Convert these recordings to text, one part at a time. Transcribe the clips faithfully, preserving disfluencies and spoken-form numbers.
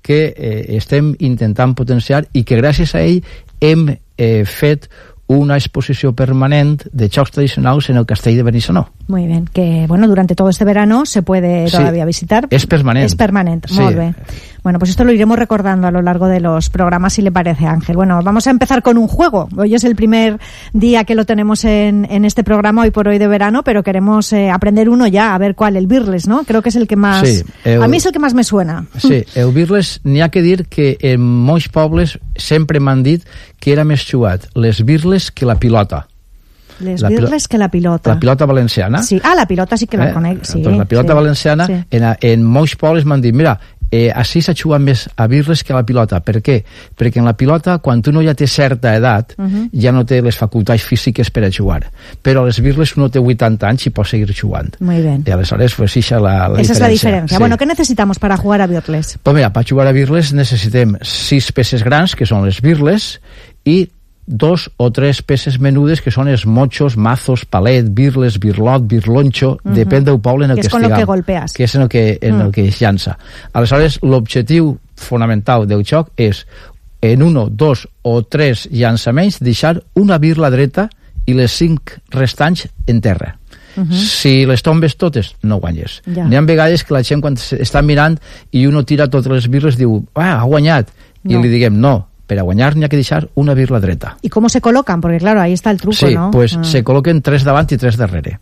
que eh, estem intentant potenciar i que gràcies a ell hem eh, fet una exposició permanent de jocs tradicionals en el Castell de Benissanó. Muy bien, que bueno, durante todo este verano se puede todavía sí, visitar. Es permanente. Es permanente, sí. Muy bien. Bueno, pues esto lo iremos recordando a lo largo de los programas, si le parece, Ángel. Bueno, vamos a empezar con un juego. Hoy es el primer día que lo tenemos en, en este programa, hoy por hoy de verano, pero queremos eh, aprender uno ya, a ver cuál, el Birles, ¿no? Creo que es el que más... Sí, el, a mí es el que más me suena. Sí, el Birles, n'hi ha que dir que en molts pobles sempre m'han dit que era més xuat les birles que la pilota. Les la birles que la pilota. La pilota valenciana. Sí. Ah, la pilota sí que la eh? conec. Sí, doncs la pilota sí, valenciana, sí. En, en molts pobles m'han dit, mira, eh, així s'ha xugat més a birles que a la pilota. Per què? Perquè en la pilota, quan uno ja té certa edat, uh-huh. ja no té les facultats físiques per a jugar. Però a les birles uno té vuitanta anys i pot seguir jugant. Muy bien. I aleshores, pues, esa la, la Esa diferència. es la diferencia. Sí. Bueno, ¿qué necesitamos para jugar a birles? Pues mira, per jugar a birles necessitem sis peces grans, que són les birles, i dos o tres peces menudes que són els mochos, mazos, palet, birles, birlot, birlonxo, uh-huh. depèn del poble en el que, que estiguem. Que és con lo que golpeas. Que és en el que, en uh-huh. el que es llança. Aleshores, l'objectiu fonamental del joc és, en uno, dos o tres llançaments, deixar una birla dreta i les cinc restants en terra. Uh-huh. Si les tombes totes, no guanyes. Ja. N'hi ha vegades que la gent, quan està mirant i uno tira totes les birles, diu, ah, ha guanyat. No. I li diguem, no, per a guanyar n'hi ha que deixar una birla dreta. ¿Y cómo se colocan? Porque claro, ahí está el truco, sí, ¿no? Sí, pues ah. se col·loquen tres davant i tres darrere.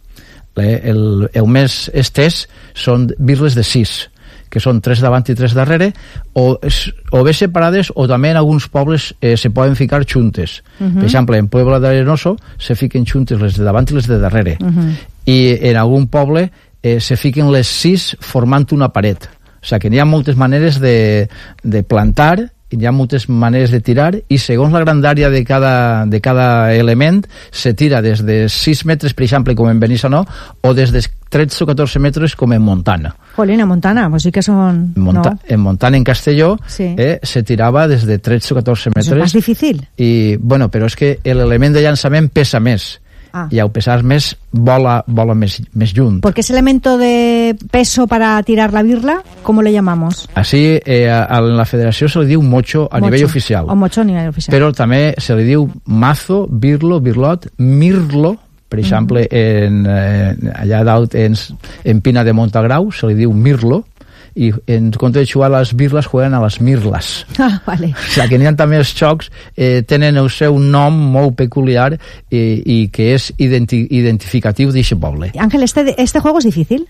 El, el més estès són birles de sis, que són tres davant i tres darrere, o, o bé separades, o també en alguns pobles eh, se poden ficar juntes. Uh-huh. Per exemple, en Puebla d'Arenoso se fiquen juntes les de davant i les de darrere. Uh-huh. I en algun poble eh, se fiquen les sis formant una paret. O sigui que n'hi ha moltes maneres de, de plantar, hi ha moltes maneres de tirar, i segons la grandària de cada, de cada element se tira des de sis metres, per exemple, com en Benissanó, o des de tretze o catorze metres com en Montana. Jolín, en Montana, pues sí que son... Monta- no. En Montana, en Castelló, sí. eh, se tirava des de tretze o catorze metres. ¿Es más difícil? I, bueno, però és que l'element de llançament pesa més. Ah. Y al pesar més, vola, vola més, més lluny. Porque ese elemento de peso para tirar la birla, ¿cómo le llamamos? Así, eh, a la federació se li diu mocho a mocho. nivell oficial. O mocho a nivell oficial. Però també se li diu mazo, birlo, birlot, mirlo, per exemple, uh-huh. en, eh, allà dalt en, en Pina de Montagrau se li diu mirlo, i en compte de jugar a les birles juguen a les mirles. Ah, vale. O sigui que n'hi ha també els jocs eh, tenen el seu nom molt peculiar eh, i que és identi- identificatiu d'aquest poble. Ángel, este, este juego es difícil?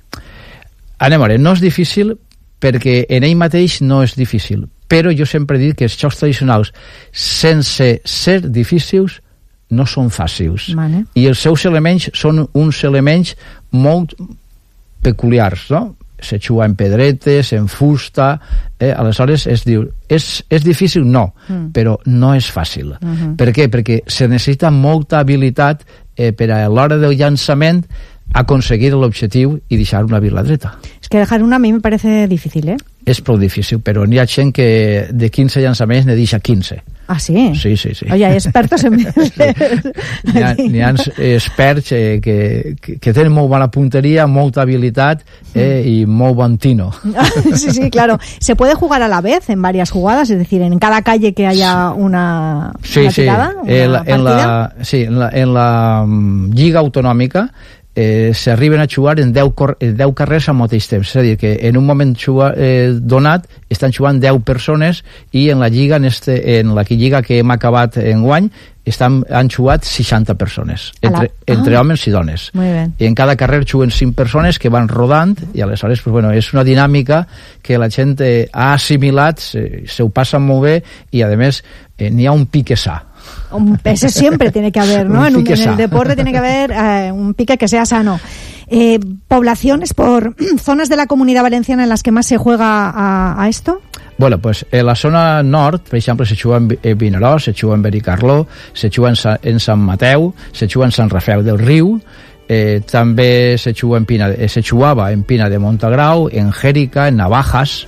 Anem a veure, no és difícil perquè en ell mateix no és difícil, però jo sempre he dit que els jocs tradicionals sense ser difícils no són fàcils. Vale. I els seus elements són uns elements molt peculiars, no? Se juga en pedretes, en fusta, eh? Aleshores es diu, és, és difícil? No, mm. però no és fàcil. Uh-huh. Per què? Perquè se necessita molta habilitat eh, per a l'hora del llançament aconseguir l'objectiu i deixar una birla dreta. Es que dejar una a mí me parece difícil, ¿eh? És prou difícil, però n'hi ha gent que de quinze llançaments ne deixa quinze. Ah, sí? Sí, sí, sí. Oye, hay expertos en... N'hi ha, n'hi ha experts eh, que, que, que tenen molt bona punteria, molta habilitat eh, i molt bon tino. Sí, sí, claro. ¿Se puede jugar a la vez en varias jugadas? Es decir, en cada calle que haya una, sí, una sí. tirada, una en la, partida. En la, sí, en la, en la um, Lliga Autonòmica eh, s'arriben a jugar en deu, cor, en deu carrers al mateix temps, és a dir, que en un moment jugar, eh, donat estan jugant deu persones i en la lliga, en, este, en la lliga que hem acabat en guany, estan, han jugat seixanta persones, entre, ah. entre homes i dones. I en cada carrer juguen cinc persones que van rodant i aleshores pues, bueno, és una dinàmica que la gent eh, ha assimilat, se, se ho passa molt bé i a més eh, n'hi ha un pique sa. Un, ese siempre tiene que haber, ¿no? En, un, en el deporte tiene que haber eh, un pique que sea sano. Eh, ¿Poblaciones por zonas de la Comunidad Valenciana en las que más se juega a, a esto? Bueno, pues en la zona nord, per exemple, se juga en Vinaròs, se juga en Benicarló, se juga en, Sa, en Sant Mateu, se juga en Sant Rafel del Riu, eh, també se juga en Pina, eh, se jugava en Pina de Montagrau, en Jèrica, en Navajas,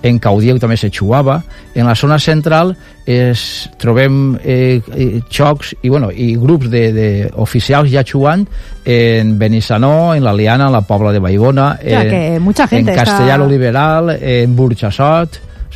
en Caudiel també se jugava. En la zona central es, trobem eh, xocs i, bueno, i grups de, de oficials ja jugant en Benissanó, en la Liana, en la Pobla de Vallbona, o sea, en, que mucha gente en Castellar está... Liberal, en Burxassot.